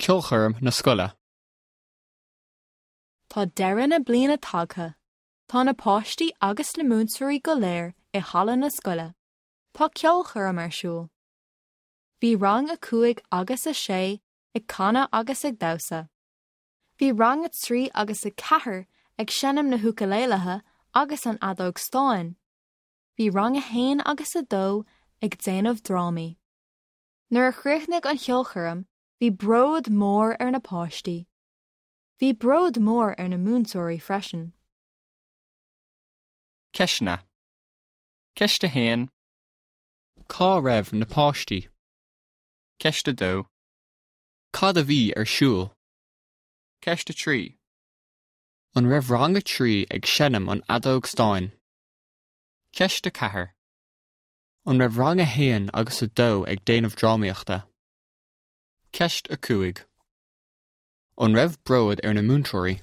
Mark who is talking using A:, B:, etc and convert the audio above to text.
A: Ceolchoirm na scoile.
B: Tá deireadh na bliana tagtha. Tá na páistí agus na múinteoirí go léir i halla na scoile. Tá ceolchoirm ar siúl. Bhí rang a 5 agus a 6 ag canadh agus ag damhsa. Bhí rang a 3 agus a 4 ag seinm na húcailéilithe agus an fheadóg stáin. Bhí rang a 1 agus a 2 ag déanamh drámaí. Nuair a chríochnaigh an cheolchoirm, bhí bród mór ar na páistí. Bhí bród mór ar na múinteoirí freisin.
A: Ceisteanna. Ceist 1. Cá raibh na páistí? Ceist 2. Cad a bhí ar siúl? Ceist 3. An raibh rang a 3 ag seinm an fheadóg stáin? Ceist 4. An raibh rang 1 agus 2 ag déanamh drámaíochta? Ceist 5. An raibh bród ar na múinteoirí?